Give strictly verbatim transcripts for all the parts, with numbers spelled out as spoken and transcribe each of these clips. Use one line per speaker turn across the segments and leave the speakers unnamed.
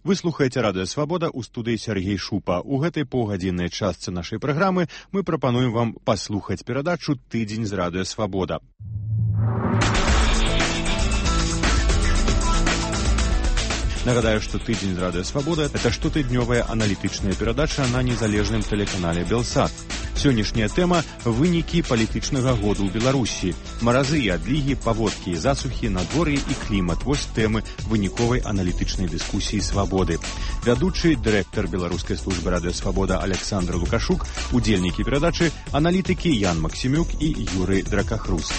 Вы слухаеце радыё Свабода, у студыі Сергей Шупа. У гэтай паўгадзіннай частцы нашай праграмы мы прапануем вам паслухаць перадачу «Тыдзень з радыё Свабода». Нагадаю, што «Тыдзень з радыё Свабода» — это штотыднёвая аналітычная перадача на незалежным тэлеканале «Белсат». Сённяшняя тэма – вынікі палітычнага году ў Беларусі. Маразы і адлігі, паводкі і засухі, надвор'е і клімат – вось тэмы выніковай аналітычнай дыскусіі «Свабоды». Вядучы, дырэктар беларускай службы радыё Свабода Александр Лукашук, удзельнікі перадачы, аналітыкі Ян Максімюк і Юрый Дракахрус.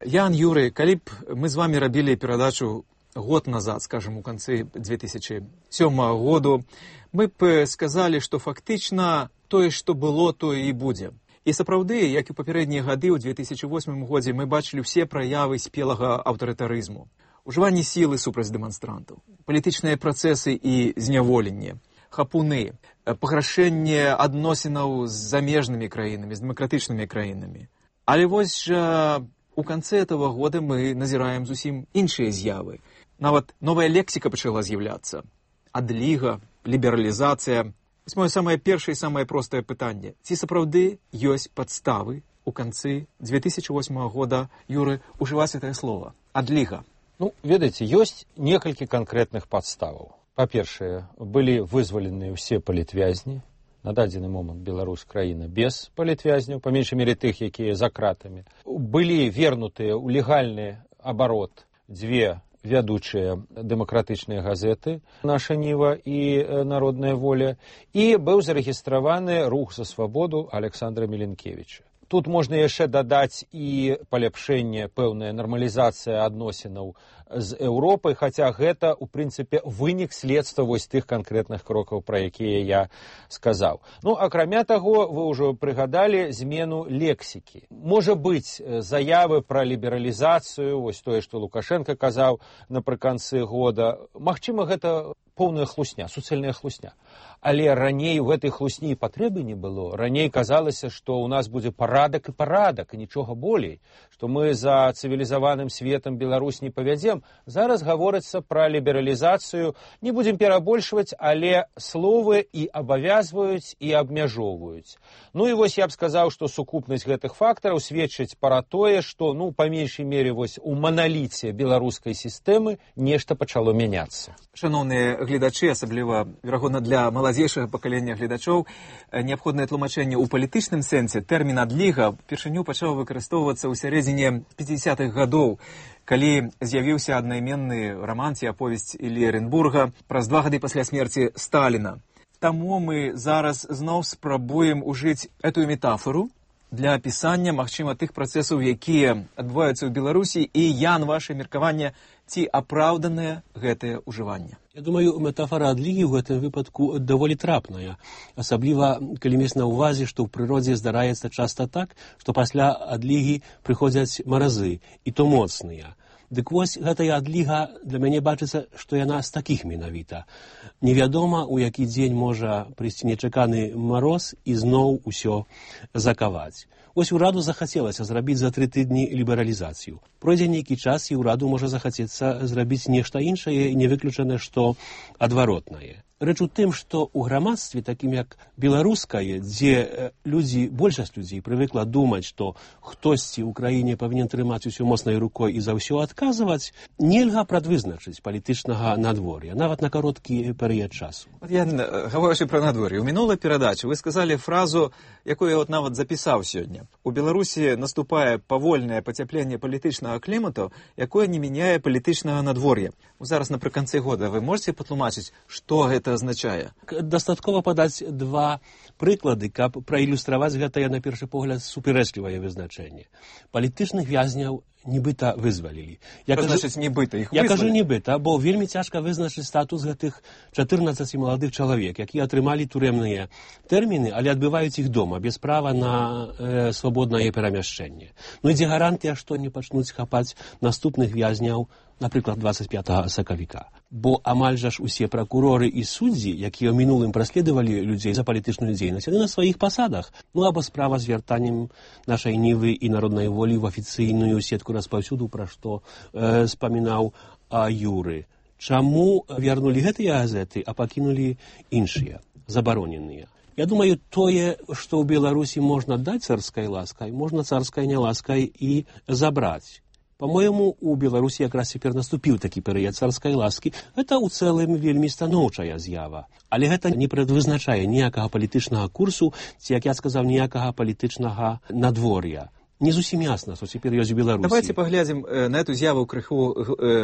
Ян, Юрый, калі б мы з вами рабілі перадачу год назад, скажем, у канцы две тысячи сёмага году, мы б сказалі, што фактычна тое, што было, тое і будзе. І сапраўды, як і папярэднія гады, ў две тысячи восьмым годзе мы бачылі ўсе праявы спелага аўтарытарызму. Ужыванне сілы супраць дэманстрантаў, палітычныя працэсы і зняволенне, хапуны, паграшэнне адносінаў з замежнымі краінамі, з дэмакратычнымі краінамі. Але вось жа у канцы этого года мы назіраем зусім іншыя з'явы. Нават новая лексіка пачала з'яўляцца. Адліга, лібералізацыя. Вось моё самае першае і самае простае пытанне. Ці сапраўды ёсць падставы у канцы две тысячи восьмага года, Юры, ужываць гэтае слова? Адліга.
Ну, ведаеце, ёсць некалькі канкрэтных падставаў. Па-першае, былі вызваленыя ўсе палітвязні. На дадзены момант Беларусь краіна без палітвязняў, па меншай мере тых, якія за кратамі. Былі вернутыя ў легальны абарот дзве вядучыя дэмакратычныя газеты «Наша Ніва» і «Народная воля», і быў зарэгістраваны рух за свабоду Александра Міленкевіча. Тут можна яшчэ дадаць і паляпшэнне, пэўная нармалізацыя адносінаў з Еўропай, хаця гэта, у прынцыпе, вынік следства вось тых канкрэтных крокаў, пра якія я сказаў. Ну, акрамя таго, вы ўжо прыгадалі змену лексікі. Можа быць, заявы пра лібералізацыю, вось тое, што Лукашенко казаў напрыканцы года, магчыма, гэта поўная хлусня, суцэльная хлусня. Але раней у гэтай хлусні патрэбы не было. Раней казалася, што ў нас будзе парадак і парадак, і нічога болей, што мы за цывілізаваным светам Беларусь не павядзем. Зараз гаворыцца пра лібералізацыю. Не будзем перабольшваць, але словы і абавязваюць, і абмяжоўваюць. Ну і вось я б сказаў, што сукупнасць гэтых фактараў сведчыць пра тое, што, ну, па меншай мере, вось у маналіце беларускай сістэмы нешта пачало мяняцца.
Шаноўныя гледачы, асабліва, верагодна, для маладзейшага пакалення гледачоў, неабходнае тлумачэнне ў палітычным сэнсе. Тэрмін адліга упершыню пачаў выкарыстоўвацца ў сярэдзіне пяцідзясятых гадоў, калі з'явіўся аднайменны раман ці аповесць Іллі Эренбурга праз два гады пасля смерці Сталіна. Таму мы зараз зноў спрабуем ужыць эту метафору для апісання, магчыма, тых працэсаў, якія адбываюцца ў Беларусі, і, Ян, ваше меркаванне, ці апраўданае гэтае ўжыванне?
Я думаю, метафора адлігі ў гэтым выпадку даволі трапная. Асабліва, калі мець на ўвазе, што ў прыродзе здараецца часта так, што пасля адлігі прыходзяць маразы, і то моцныя. Дык вось гэтая адліга для мяне бачыцца, што яна з такіх менавіта. Невядома, у які дзень можа прыйсці нечаканы мароз і зноў усё закаваць. Вось ураду захацелася зрабіць за тры тыдні лібералізацыю. Пройдзе нейкі час, і ўраду можа захацецца зрабіць нешта іншае, і не выключана, што адваротнае. Рэч у тым, што ў грамадстве, такім як беларускае, дзе людзі, большасць людзей прывыкла думаць, што хтосьці ў краіне павінен трымаць усё моцнай рукой і за ўсё адказваць, нельга прадвызначыць палітычнага надвор'я, нават на кароткі перыяд часу.
Вот я, гаворачы пра надвор'е, у мінулай перадачы вы сказалі фразу, якую я от нават запісаў сёння. У Беларусі наступае павольнае пацяпленне палітычнага клімату, якое не мяняе палітычнага надвор'я. Зараз напрыканцы года вы можете патлумачыць, што гэта азначае?
Дастаткова падаць два прыклады, каб праілюстраваць гэтае, на першы погляд, супярэчлівае вызначэнне. Палітычных вязняў нібыта вызвалілі.
Што значыць нібыта? Іх
я
вызвалілі?
кажу нібыта, бо вельмі цяжка вызначыць статус гэтых чатырнаццаці маладых чалавек, якія атрымалі турэмныя тэрміны, але адбываюць іх дома, без права на э, свабоднае перамяшчэнне. Ну і дзе гарантыя, што не пачнуць хапаць наступных вязняў, напрыклад, дваццаць пятага сакавіка. Бо амаль жа ж усе пракуроры і суддзі, якія ў мінулым праследавалі людзей за палітычную дзейнасць, яны на сваіх пасадах. Ну або справа з вяртаннем нашай Нівы і народнай волі ў афіцыйную сетку распаўсюду, пра што э, спамінаў а, Юры. Чаму вярнулі гэтыя газеты, а пакінулі іншыя, забароненыя? Я думаю, тое, што ў Беларусі можна даць царскай ласкай, можна царскай няласкай і забраць. По-моему, у Беларусі якраз цяпер наступіў такі перыяд царскай ласкі. Гэта ў цэлым вельмі станоўчая з'ява. Але гэта не прадвызначае ніякага палітычнага курсу, ці, як я сказаў, ніякага палітычнага надвор'я. Не зусім ясна, што цяпер ёсць у Беларусі.
Давайте паглядзім на эту з'яву крыху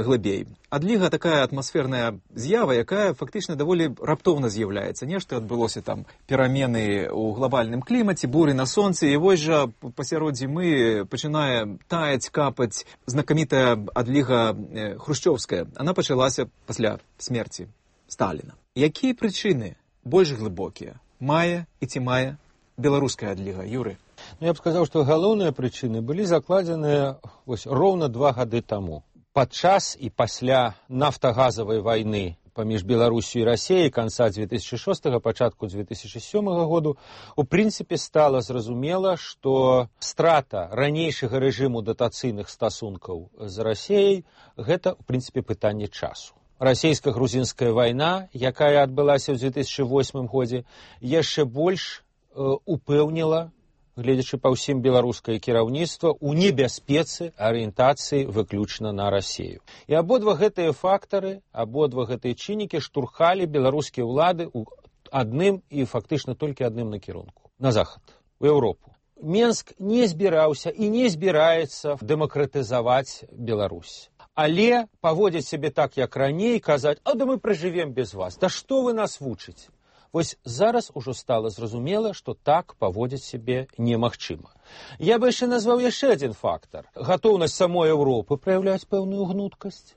глыбей. Адліга такая атмасферная з'ява, якая фактычна даволі раптоўна з'яўляецца. Нешта адбылося там перамены ў глобальным клімаце, буры на сонцы, і вось жа пасярод зімы пачынае таяць, капаць знакамітая адліга хрушчоўская. Она пачалася пасля смерці Сталіна. Якія прычыны больш глыбокія мае і ці мае беларуская адліга, Юры?
Ну, я б сказаў, што галоўныя прычыны былі закладзеныя вось роўна два гады таму. Падчас і пасля нафтагазавай вайны паміж Беларусю і Расіяй канца дзве тысячы шостага, пачатку дзве тысячы сёмага году, у прынцыпе стала зразумела, што страта ранейшага рэжыму датацыйных стасункаў з Расіяй гэта, у прынцыпе, пытанне часу. Расійска-грузінская вайна, якая адбылася ў дзве тысячы восьмым годзе, яшчэ больш э, упэўніла, гледзячы па ўсім беларускае кіраўніцтва, у небяспецы арыентацыі выключна на Расію. І абодва гэтыя фактары, абодва гэтыя чыннікі штурхалі беларускія ўлады ў адным і фактычна толькі адным накірунку – на захад, у Еўропу. Менск не збіраўся і не збіраецца дэмакратызаваць Беларусь. Але паводзіць сябе так, як раней, казаць: «А да мы пражывем без вас, да што вы нас вучыце?» Вось зараз ужо стала зразумела, што так паводзіць сябе немагчыма. Я бы яшчэ назваў яшчэ адзін фактар. Гатоўнасць самой Еўропы праяўляць пэўную гнуткасць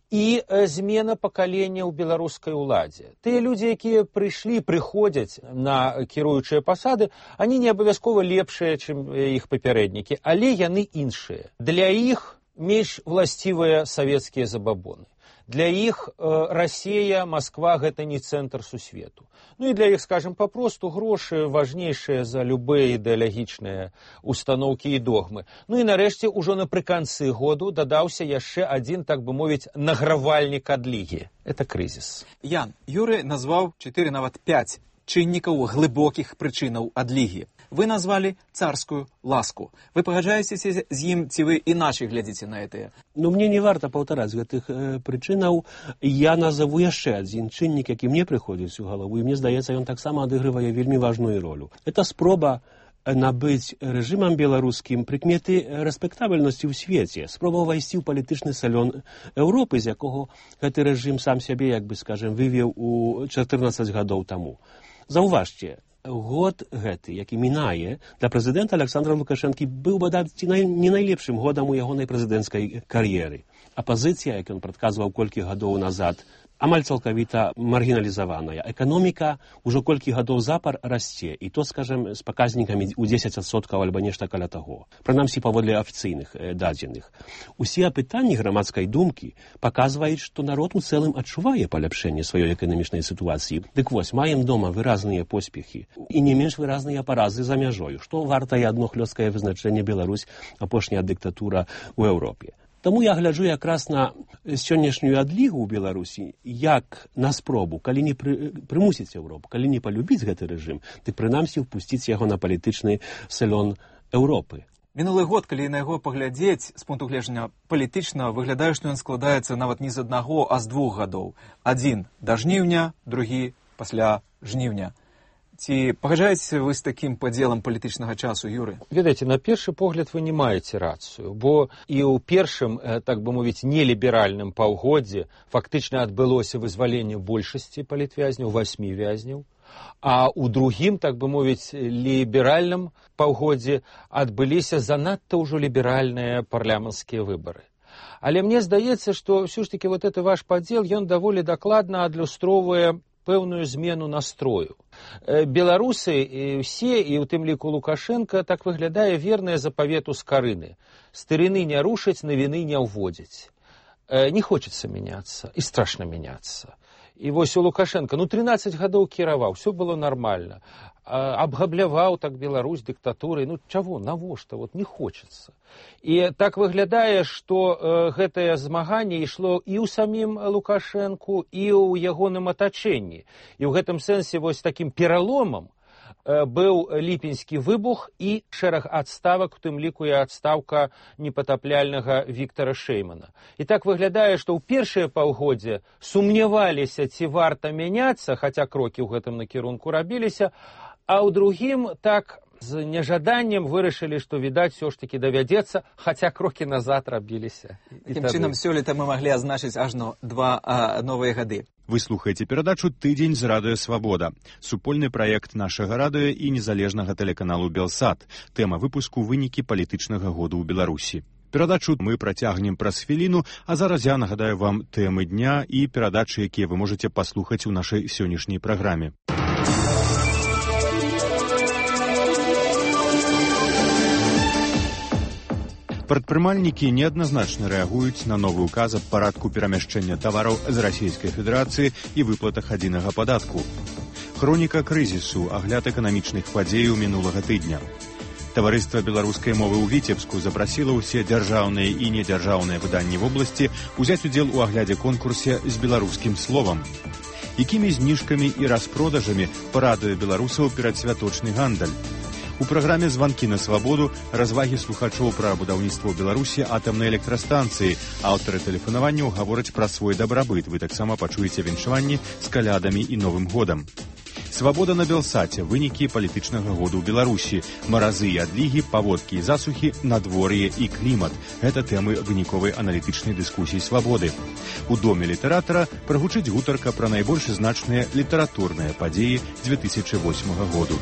і змена пакалення ў беларускай уладзе. Тыя людзі, якія прыйшлі, прыходзяць на кіруючыя пасады, они не абавязкова лепшыя, чым іх папярэднікі, але яны іншыя. Для іх менш власцівыя савецкія забабоны. Для іх э, Расія, Масква – гэта не цэнтр сусвету. Ну і для іх, скажем, папросту грошы важнейшыя за любыя ідэалагічныя установкі і догмы. Ну і нарэшце, ужо напрыканцы году дадаўся яшчэ адзін, так бы мовіць, награвальнік адлігі. Это крызіс.
Ян, Юры назваў чатыры, нават пяць чыннікаў глыбокіх прычынаў адлігі. Вы назвалі царскую ласку. Вы пагаджаецеся з ім, ці вы іначай глядзіце на гэтае?
Ну, мне не варта паўтараць гэтых э, прычынаў. Я назову яшчэ адзін чыннік, які мне прыходзіць у галаву, і мне здаецца, ён таксама адыгрывае вельмі важную ролю. Это спроба набыць рэжымам беларускім прыкметы рэспектабельнасці ў свеце, спроба ўвайсці ў палітычны салён Еўропы, з якога гэты рэжым сам сябе, як бы скажем, вывеў у чатырнаццаць гадоў таму. Заўважце, год гэты, які мінае, для прэзідэнта Александра Лукашэнкі быў бадаць не найлепшым годам у ягонай прэзідэнцкай кар'еры. Апазіцыя, як ён прадказваў колькі гадоў назад, амаль цалкавіта маргіналізаваная. Эканоміка ўжо колькі гадоў запар расце, і то, скажем, з паказнікамі ў дзесяць адсоткаў альбо нешта каля таго. Прынамсі, паводле афіцыйных э, дадзеных. Усе апытанні грамадскай думкі паказваюць, што народ у цэлым адчувае паляпшэнне сваёй эканамічнай сітуацыі. Дык вось, маем дома выразныя поспехі і не менш выразныя паразы за мяжою, што вартае адно хлёсткае вызначэнне Беларусь, апошняя дыктатура ў Еўропе. Таму я гляджу якраз на сённяшнюю адлігу ў Беларусі як на спробу, калі не пры, прымусіць Еўропу, калі не палюбіць гэты рэжым, дык прынамсі ўпусціць яго на палітычны салён Еўропы.
Мінулы год, калі на яго паглядзець з пункту гледжання палітычна, выглядае, што ён складаецца нават не з аднаго, а з двух гадоў. Адзін да жніўня, другі пасля жніўня. Ці пагаджаецеся вы з такім падзелам палітычнага часу, Юры?
Ведаеце, на першы погляд вы не маеце рацыю, бо і ў першым, так бы мовіць, неліберальным паўгоддзі фактычна адбылося вызваленне большасці палітвязняў, васьмі вязняў, а ў другім, так бы мовіць, ліберальным паўгоддзі адбыліся занадта ўжо ліберальныя парламенцкія выбары. Але мне здаецца, што ўсё ж такі вот гэты ваш падзел, ён даволі дакладна адлюстроўвае пэўную змену настрою. Беларусы і ўсе, і ў тым ліку Лукашенко, так выглядае вернае запавету скарыны. Старыны не рушаць, навіны не ўводзяць. Не хочется меняться, і страшна меняться. І вось у Лукашенко, ну, трынаццаць гадоў кіраваў, все было нормально. абгабляваў так Беларусь дыктатурай. Ну чаго, навошта, вот не хочацца. І так выглядае, што э, гэтае змаганне ішло і ў самім Лукашэнку, і ў ягоным атачэнні. І ў гэтым сэнсе вось такім пераломам быў ліпеньскі выбух і шэраг адставак, у тым ліку і адстаўка непатапляльнага Віктара Шэймана. І так выглядае, што ў першае паўгоддзе сумняваліся, ці варта мяняцца, хаця крокі ў гэтым накірунку рабіліся, а ў другім так з нежаданнем вырашылі, што, відаць, все ж таки давядзецца, хаця крокі назад рабіліся.
Такім чынам, сёлета мы маглі азначыць ажно два а, новыя гады.
Вы слухаеце перадачу «Тыдзень з радыё Свабода». Супольны праект нашага радыё і незалежнага тэлеканалу «Белсат». Тэма выпуску «Вынікі палітычнага году ў Беларусі». Перадачу мы працягнем праз хвіліну, а зараз я нагадаю вам тэмы дня і перадачы, якія вы можаце паслухаць у нашай сённяшняй праграме. Прадпрымальнікі неадназначна рэагуюць на новы ўказ аб парадку перамяшчэння тавараў з Расійскай Федэрацыі і выплатах адзінага падатку. Хроніка крызісу, агляд эканамічных падзеяў мінулага тыдня. Таварыства беларускай мовы ў Віцебску запрасіла ўсе дзяржаўныя і недзяржаўныя выданні вобласці узяць удзел у аглядзе конкурсе з беларускім словам. Якімі зніжкамі і распродажамі парадуе беларусаў перадсвяточны гандаль? У праграме «Званкі на свабоду» развагі слухачоў пра будаўніцтва ў Беларусі атамнай электрастанцыі. Аўтары тэлефанаванняў гавораць пра свой дабрабыт. Вы таксама пачуеце віншаванні з калядамі і Новым годам. Свабода на Белсаце. Вынікі палітычнага году ў Беларусі. Маразы і адлігі, паводкі і засухі, надвор'е і клімат. Гэта тэмы выніковай аналітычнай дыскусіі «Свабоды». У доме літаратара прагучыць гутарка пра найбольш значныя літаратурныя падзеі дзве тысячы восьмага году.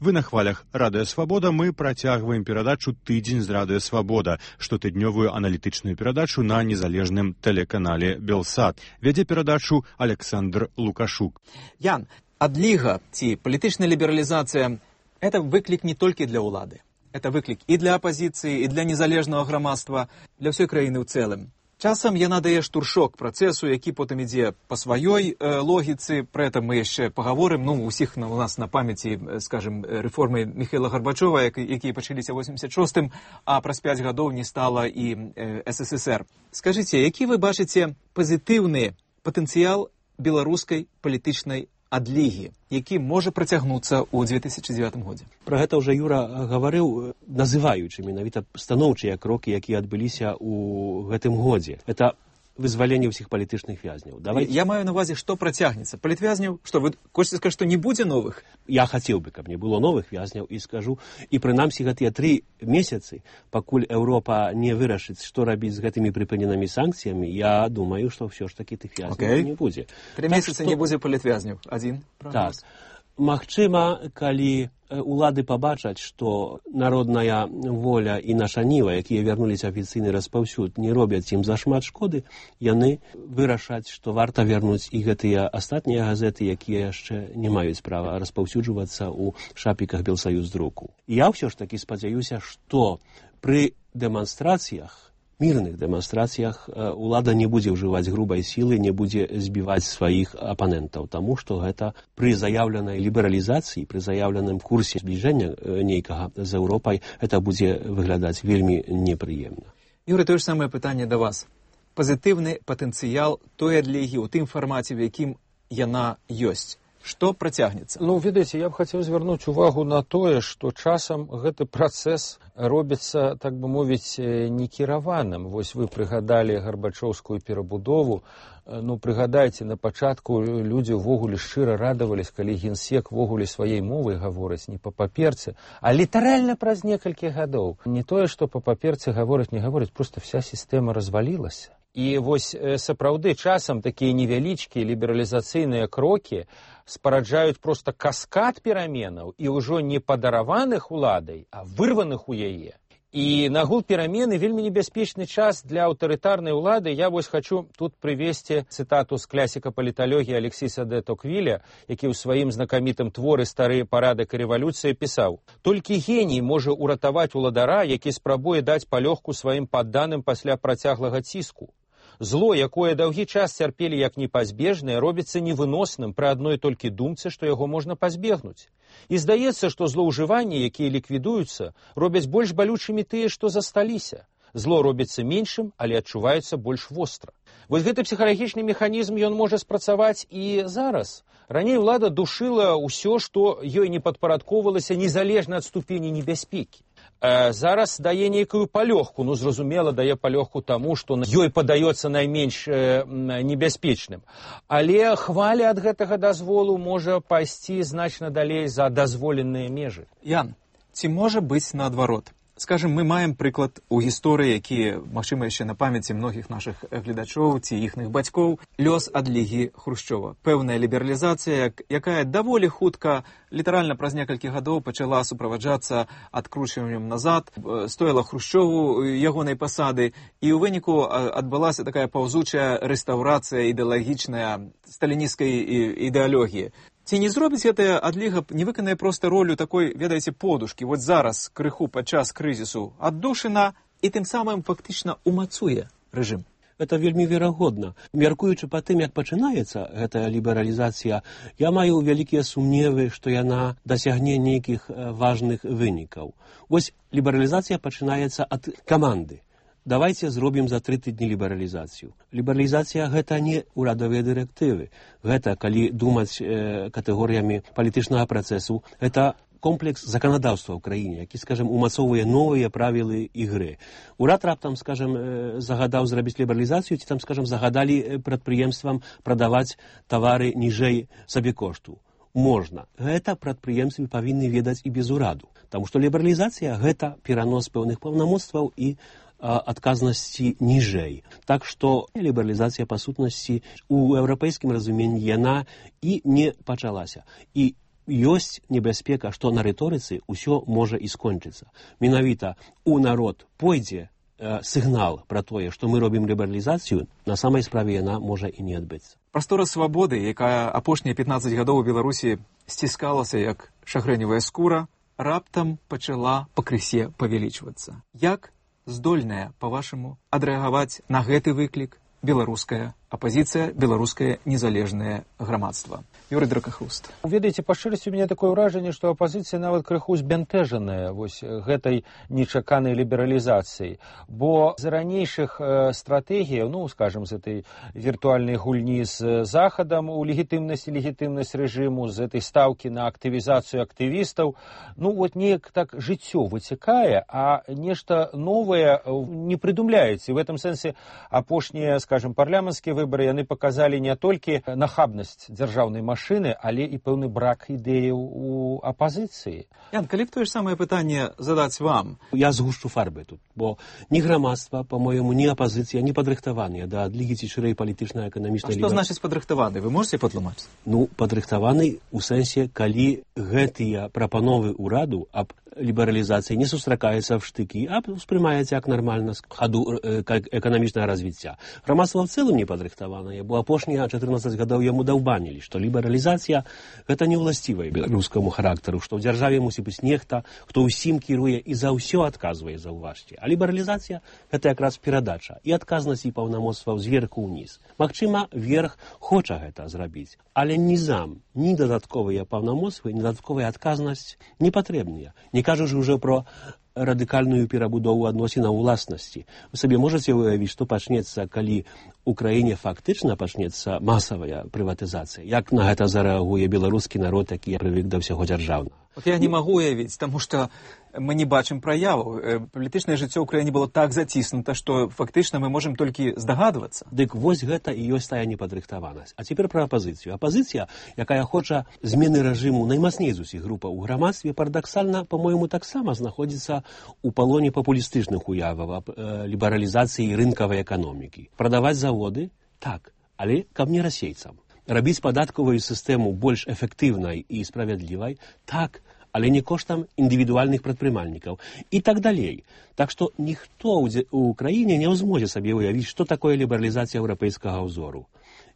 Вы на хвалях радыё Свабода, мы працягваем перадачу «Тыдзень з радыё Свабода», штотыднёвую аналітычную перадачу на незалежным тэлеканале «Белсат». Вядзе перадачу Александр Лукашук.
Ян, адліга ці палітычная лібералізацыя – это выклік не толькі для ўлады. Это выклік і для апазіцыі, і для незалежнага грамадства, для ўсёй краіны ў цэлым. Часам яна дае штуршок працэсу, які потым ідзе па сваёй э, логіцы. Пра гэта мы яшчэ пагаворым. Ну, усіх на, у нас на памяці, скажем, рэформы Міхаіла Гарбачова, які, якія пачаліся ў восемьдесят шостым, а праз пяць гадоў не стала і э, эс эс эс эр. Скажыце, які вы бачыце пазітыўны патэнцыял беларускай палітычнай адлігі, які можа працягнуцца ў две тысячы дзевятым годзе?
Пра гэта ўжо Юра гаварыў, называючы менавіта станоўчыя крокі, якія адбыліся ў гэтым годзе. Это вызваленне ўсіх палітычных вязняў.
Давайте... Я маю на увазе, што працягнецца. Палітвязняў, што вы хочаце сказаць, што не будзе новых?
Я хацеў бы, каб не было новых вязняў, і скажу, і прынамсі гэтыя тры месяцы, пакуль Еўропа не вырашыць, што рабіць з гэтымі прыпыненымі санкцыямі, я думаю, што ўсё ж такі тых вязняў okay. не будзе.
Тры так, месяцы што... не будзе палітвязняў. Адзін прагноз.
Так. Магчыма, калі улады пабачаць, што народная воля і наша ніва, якія вярнуліся афіцыйны распаўсюд, не робяць ім зашмат шкоды, яны вырашаць, што варта вярнуць і гэтыя астатнія газеты, якія яшчэ не маюць права распаўсюджвацца ў шапіках Белсаюз друку. Я ўсё ж такі спадзяюся, што пры дэманстрацыях, мірных дэманстрацыях улада не будзе ўжываць грубай сілы, не будзе збіваць сваіх апанентаў, таму што гэта пры заяўленай лібералізацыі, пры заяўленым курсе збліжэння нейкага з Еўропай, это будзе выглядаць вельмі непрыемна.
Юрый, тое ж самае пытанне да вас. Пазітыўны патэнцыял той адлігі ў тым фармаце, в якім яна ёсць. Што працягнецца?
Ну, ведаеце, я б хацеў звярнуць увагу на тое, што часам гэты працэс робіцца, так бы мовіць, некіраваным. Вось вы прыгадалі гарбачоўскую перабудову. Ну, прыгадайце, на пачатку людзі ўвогуле шчыра радавались, калі генсек ўвогуле сваёй мовай гаворыць не па паперцы, а літаральна праз некалькі гадоў. Не тое, што па паперцы гаворыць, не гаворыць, проста вся сістэма развалілася. І вось сапраўды часам такія невялічкія лібералізацыйныя крокі спараджаюць проста каскад пераменаў і ўжо не падараваных уладай, а вырваных у яе. І нагул перамены вельмі небяспечны час для аўтарытарнай улады. Я вось хочу тут прывесці цытату з класіка паліталогіі Алексіса де Токвіля, які ў сваім знакамітым творы «Старыя парадак і рэвалюцыя» пісаў: «Толькі геній можа ўратаваць уладара, які спрабуе даць палёгку сваім падданым пасля працяглага ціску. Зло, якое даўгі час цярпелі як непазбежнае, робіцца невыносным пры адной толькі думцы, што яго можна пазбегнуць. І здаецца, што злоўжыванні, якія ліквідуюцца, робяць больш балючымі тыя, што засталіся. Зло робіцца меншым, але адчуваецца больш востра». Вось гэты псіхалагічны механізм ён можа спрацаваць і зараз. Раней улада душыла ўсё, што ёй не падпарадкоўвалася незалежна ад ступені небяспекі. Э, зараз дае нейкую палёгку, ну, зразумела, дае палёгку таму, што ёй падаецца найменш э, небяспечным. Але хваля ад гэтага дазволу можа пайсці значна далей за дазволеныя межы.
Ян, ці можа быць наадварот? Скажем, мы маем прыклад у гісторыі, які, магчыма, яшчэ на памяці многіх нашых гледачоў ці іхных бацькоў, лёс адлігі Хрушчова. Пэўная лібералізацыя, якая даволі хутка, літаральна праз некалькі гадоў пачала суправаджацца адкручваннем назад, стоіла Хрушчову ягонай пасады, і ў выніку адбылася такая паўзучая рэстаўрацыя ідэалагічная сталінісцкай ідэалогіі. Ці не зробіць гэтая адліга, не выканае проста ролю такой, ведаеце, подушкі? Вот зараз крыху падчас крызісу аддушына і тым самым фактычна умацуе рэжым.
Это вельмі верагодна. Мяркуючы па тым, як пачынаецца гэтая лібералізацыя, я маю вялікія сумневы, што яна дасягне нейкіх важных вынікаў. Вось лібералізацыя пачынаецца ад каманды. Давайте зробім за тры тыдні лібералізацыю. Лібералізацыя – гэта не ўрадавыя дырэктывы. Гэта, калі думаць э, катэгорыямі палітычнага працэсу, гэта комплекс заканадаўства ў краіне, які, скажем, умацоўвае новыя правілы ігры. Урад раптам, скажем, э, загадаў зрабіць лібералізацыю, ці там, скажем, загадалі прадпрыемствам прадаваць тавары ніжэй сабекошту. Можна. Гэта прадпрыемствы павінны ведаць і без ураду. Таму што лібералізацыя – гэта перанос пэўных паўнамоцтваў і адказнасці ніжэй. Так што лібералізацыя па сутнасці ў еўрапейскім разуменні яна і не пачалася. І ёсць небяспека, што на рыторыцы ўсё можа і скончыцца. Менавіта у народ пойдзе э, сігнал пра тое, што мы робім лібералізацыю, на самай справе яна можа і не адбыцца.
Прастора свабоды, якая апошнія пятнаццаць гадоў у Беларусі сціскалася як шагрэневая скура, раптам пачала пакрысе павялічвацца. Як здольная, па-вашаму, адрэагаваць на гэты выклік беларуская апазіцыя, беларускае незалежнае грамадства? Юрый Дракахруст.
Ведаеце, па шчырасці, у мяне такое ўражанне, што апазіцыя нават крыху збянтэжаная вось гэтай нечаканай лібералізацыяй. Бо з ранейшых э, стратэгіяў, ну, скажем, з этой віртуальнай гульні з Захадам у легітымнасць і легітымнасць рэжыму, з этой стаўкі на актывізацыю актывістаў, ну, вот неяк так жыццё выцякае, а нешта новае не прыдумляецца. І в этом сэнсе апошнія, скажем, парламенцкія выборы, яны показалі не толькі нахабнасць дзяржаўнай машыны, але і пэўны брак ідэяў у апазіцыі.
Ян, калі б тое ж самае пытанне задаць вам?
Я згушчу фарбы тут, бо ні грамадства, па-моему, ні апазіцыя не падрыхтаваныя да адлігі ці шырэй палітычна-эканамічнай
лібер... А што значыць падрыхтаваны? Вы можете патлумачыць?
Ну, падрыхтаваны ў сэнсе, калі гэтыя прапановы ўраду аб лібералізацыі не сустракаецца в штыкі, а ўспрымаецца як нармальна з хаду эканамічнага развіцця. Грамадства в цэлым не падрыхтаванае, бо апошнія чатырнаццаць гадоў яму даўбанілі, што лібералізацыя гэта не ўласцівая беларускаму характару, што ў дзяржаве мусіць быць нехта, хто ўсім кіруе і за ўсё адказвае, заўважце. А лібералізацыя гэта якраз перадача і адказнасць і паўнамоцтваў зверху ўніз. Магчыма, верх хоча гэта зрабіць, але нізам, ні дадатковыя паўнамоцтвы, ні дадатковая адказнасць не патрэбныя. Не кажучы ўжо про радыкальную перабудову адносінаў уласнасці. Вы сабе можаце уявіць, што пачнецца, калі ў краіне фактычна пачнецца масавая прыватызацыя? Як на гэта зарэагуе беларускі народ, які прывык да ўсяго дзяржаўнага?
Вот я не магу уявіць, таму што мы не бачым праяваў. Палітычнае жыццё ў краіне было так заціснута, што фактычна мы можам толькі здагадвацца.
Дык вось гэта і ёсць тая непадрыхтаванасць. А цяпер пра апазіцыю. Апазіцыя, якая хоча змены рэжыму наймацней з усіх групаў у грамадстве, парадаксальна, па-мойму, таксама знаходзіцца у палоне папулістычных уяваў аб э, лібералізацыі рынкавай эканомікі. Прадаваць заводы? Так, але каб не расейцам. Рабіць падатковую сістэму больш эфектыўнай і справядлівай? Так, але не коштам індывідуальных прадпрымальнікаў і так далей. Так што ніхто ў краіне не зможа сабе уявіць, што такое лібералізацыя еўрапейскага ўзору.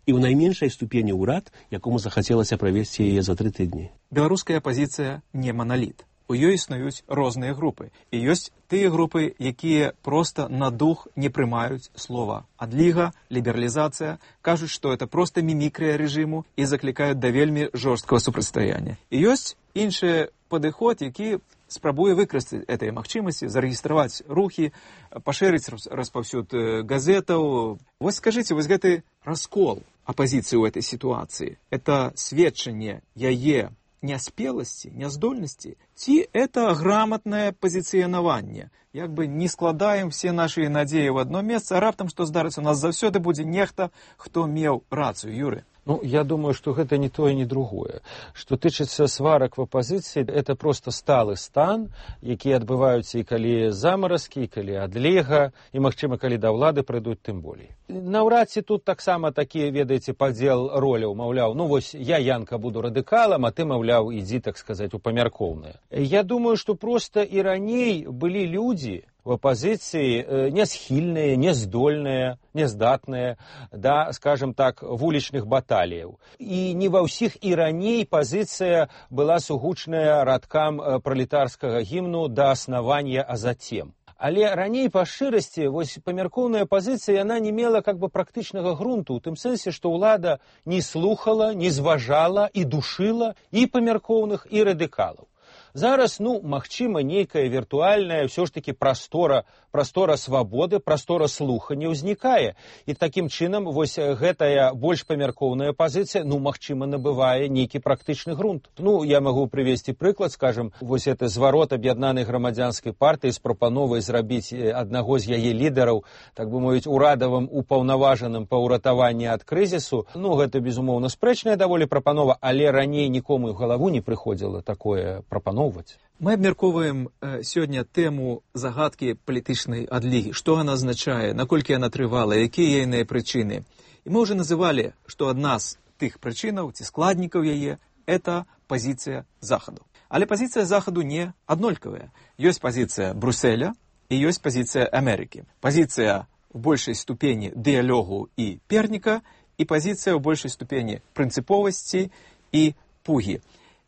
І ў найменшай ступені ўрад, якому захацелася правесці яе за тры тыдні.
Беларуская апазіцыя не маналіт. У ёй існуюць розныя групы. І ёсць тыя групы, якія проста на дух не прымаюць слова адліга, лібералізацыя, кажуць, што это проста мімікрыя рэжыму і заклікаюць да вельмі жорсткага супрацьстаяння. І ёсць іншы падыход, які спрабуе выкарыстаць этой магчымасці, зарэгістраваць рухі, пашырыць распаўсюд газетаў. Вось скажыце, вось гэты раскол апазіцыі ў этой сітуацыі, это сведчанне яе няспеласці, няздольнасці, ці это грамотнае пазіцыянаванне? Як бы не складаем все нашы надзеі ў одно месца, а раптам што здарыцца, у нас заўсёды будзе нехта, хто меў рацыю, Юры.
Ну, я думаю, что это не то и не другое. Что тычыцца сварак в оппозиции, это просто сталы стан, які адбываюцца і калі замаразкі, і калі адлега, і, магчыма, калі да ўлады прыйдуць, тым болей. Наўрад ці тут таксама такі, ведаеце, падзел роляў, маўляў, ну вось я, Янка, буду радыкалам, а ты, маўляў, ідзі, так сказаць, у памяркоўнае. Я думаю, что просто і раней былі людзі в оппозиции нясхільныя, няздольныя, няздатныя да, скажем так, вулічных баталіяў. І не ва ўсіх і раней пазіцыя была сугучная радкам пралетарскага гімну да аснавання, а затем. Але раней па шчырасці вось памяркоўная пазіцыя, яна не мела как бы практычнага грунту, у тым сэнсе, што ўлада не слухала, не зважала і душыла і памяркоўных, і радыкалаў. Зараз, ну, магчыма, нейкая віртуальная ўсё ж такі прастора, прастора свабоды, прастора слухання ўзнікае. І такім чынам вось гэтая больш памяркоўная пазіцыя, ну, магчыма, набывае нейкі практычны грунт. Ну, я магу прывесці прыклад, скажем, вось это зварот аб'яднанай грамадзянскай партыі з прапановай зрабіць аднаго з яе лідараў, так бы мовіць, урадавым упаўнаважаным па ўратаванні ад крызісу. Ну, гэта, безумоўна, спрэчная даволі прапанова, але раней нікому ў галаву не прыходзіла такое прапановаць.
Мы абмяркоўваем э, сёння тэму загадкі палітычнай адлігі. Што яна азначае, наколькі яна трывала, якія яе прычыны. І мы ўжо называлі, што адна з тых прычынаў ці складнікаў яе – это пазіцыя Захаду. Але пазіцыя Захаду не аднолькавая. Ёсць пазіцыя Брюсселя і ёсць пазіцыя Амерыкі. Пазіцыя в большай ступені дыялогу і перніка і пазіцыя ў большай ступені прынцыповасці і пугі.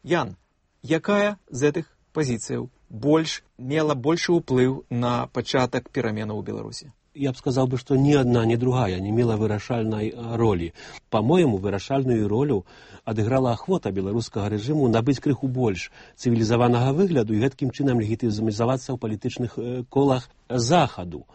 Ян, якая з гэтых пазіцыяў больш мела большы ўплыў на пачатак пераменаў у Беларусі?
Я б сказал бы, что ни одна, ни другая не имела вырашальной роли. По-моему, вырашальную роль адыграла охота белорусского режиму набыть крыху больш цивилизованного выгляду и гэткім чынам легітымізавацца ў палітычных колах Захаду.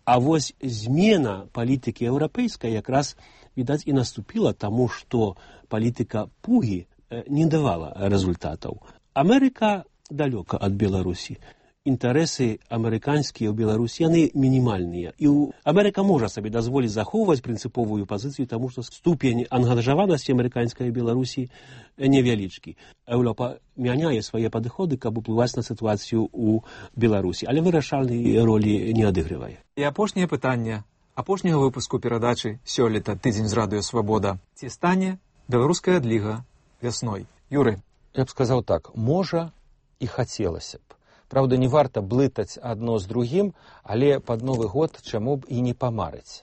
А вось змена палітыкі еўрапейскай якраз, відаць, і наступила тому, что палітыка пугі не давала результатаў. Америка далёка ад Беларусі. Інтарэсы амерыканскія ў Беларусі, яны мінімальныя. І Амерыка можа сабе дазволіць захоўваць прынцыповую пазіцыю, таму што ступень ангажаванасці амерыканскай Беларусі невялічкі. Еўропа мяняе свае падыходы, каб уплываць на сітуацыю ў Беларусі, але вырашальнай ролі не адыгрывае.
І апошняе пытанне апошняга выпуску перадачы сёлета «Тыдзень з радыё Свабода». Ці стане беларуская адліга вясной? Юры.
Я б сказаў так, можа і хацелася б. Правда, не варта блытаць адно з другім, але пад Новы год чаму б і не памарыць.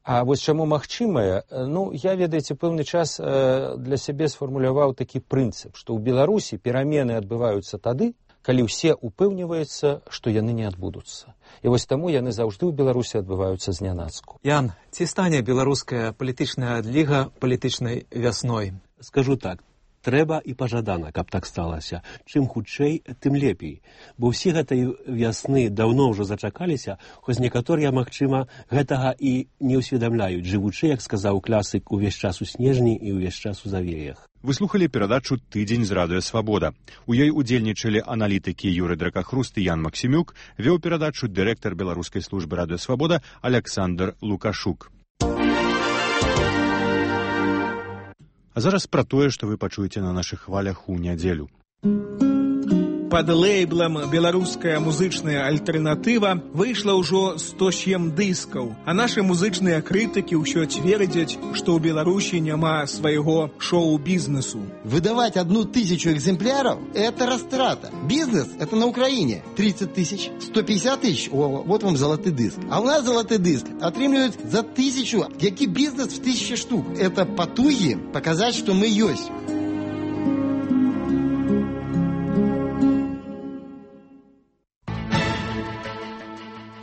А вось чаму магчымае, ну, я, ведаеце, пэўны час для сябе сфармуляваў такі прынцып, што ў Беларусі перамены адбываюцца тады, калі ўсе упэўніваюцца, што яны не адбудуцца. І вось таму яны заўжды ў Беларусі адбываюцца знянацку.
Ян, ці стане беларуская палітычная адліга палітычнай вясной?
Скажу так. Трэба і пажадана, каб так сталася. Чым хутчэй, тым лепей. Бо ўсе гэтай вясны даўно ўжо зачакаліся, хоць некаторыя, магчыма, гэтага і не ўсведамляюць, жывучы, як сказаў класык, увесь час у снежні і ўвесь час у завеях.
Вы слухали перадачу «Тыдзень з радыё Свабода». У ёй удзельнічалі аналітыкі Юры Дракахруст і Ян Максімюк, вёў перадачу дырэктар беларускай службы радыё Свабода Аляксандр Лукашук. А зараз пра тое, што вы пачуеце на нашых хвалях у нядзелю.
Пад лейблам «Беларуская музычная альтэрнатыва» выйшла ўжо сто сем дыскаў, а нашы музычныя крытыкі ўсё цвердзяць, што ў Беларусі няма свайго шоу-бізнесу.
Выдавать одну тысячу экземпляров – это растрата. Бизнес – это на Украине тридцать тысяч, сто пятьдесят тысяч, о, вот вам золотый диск. А у нас золотый диск отрымліваюць за тысячу. Які бизнес в тысячи штук? Это потуги показать, что мы есть.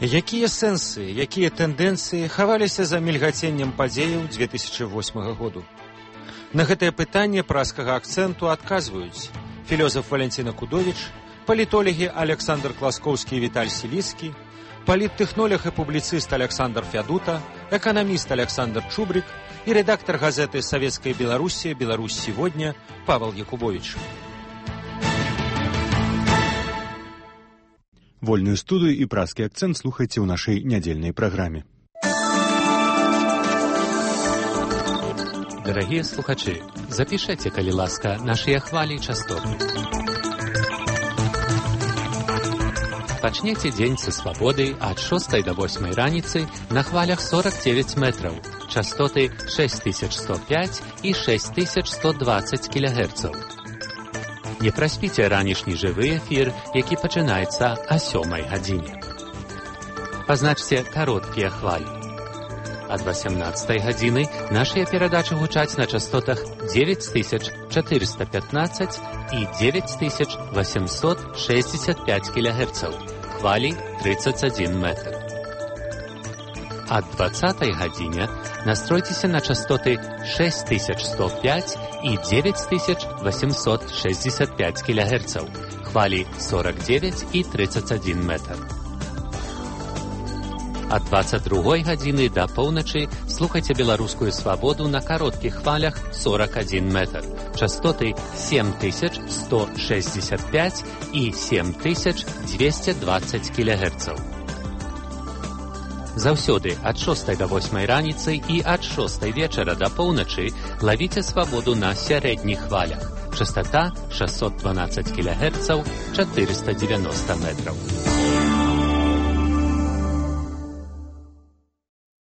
Якія сэнсы, якія тэндэнцыі хаваліся за мільгаценнем падзеяў две тысячи восьмага году? На гэтае пытанне праскага акцэнту адказваюць філёзаф Валянціна Кудовіч, палітолагі Александр Класкоўскі і Віталь Сіліцкі, паліттэхнолог і публіцыст Александр Фядута, эканаміст Александр Чубрик і рэдактар газеты «Савецкая Беларуссия. Беларусь сегодня» Павел Якубович.
Вольную студию и праский акцент слухайте в нашей недельной программе.
Дорогие слухачи, запишите, коли ласка, наши хвали и частоты. Пачнете день со свободы от шостой до восьмой раницы на хвалях сорок девять метров, частоты шесть тысяч сто пять и шесть тысяч сто двадцать килогерцов. Не праспіце ранішні жывы эфір, які пачынаецца о сёмай гадзіне. Пазначце кароткія хвалі. Ад восемнадцатай гадзіны нашыя перадачы гучаць на частотах девять тысяч четыреста пятнадцать и девять тысяч восемьсот шестьдесят пять килогерцев, хвали тридцать один метр. Ад двадцатай гадзіне настройтеся на частоты шесть тысяч сто пять и девять тысяч восемьсот шестьдесят пять килогерцев, хвали сорок девять и тридцать один метр. Ад двадцать другой гадзіны до поўначы слухайте беларускую свободу на коротких хвалях сорок один метр, частоты семь тысяч сто шестьдесят пять и семь тысяч двести двадцать килогерцев. Заўсёды ад шостай до восьмай раніцы і ад шостай вечара до поўначы лавіце свабоду на сярэдніх хвалях. Частота шестьсот двенадцать килогерцев, четыреста девяносто метров.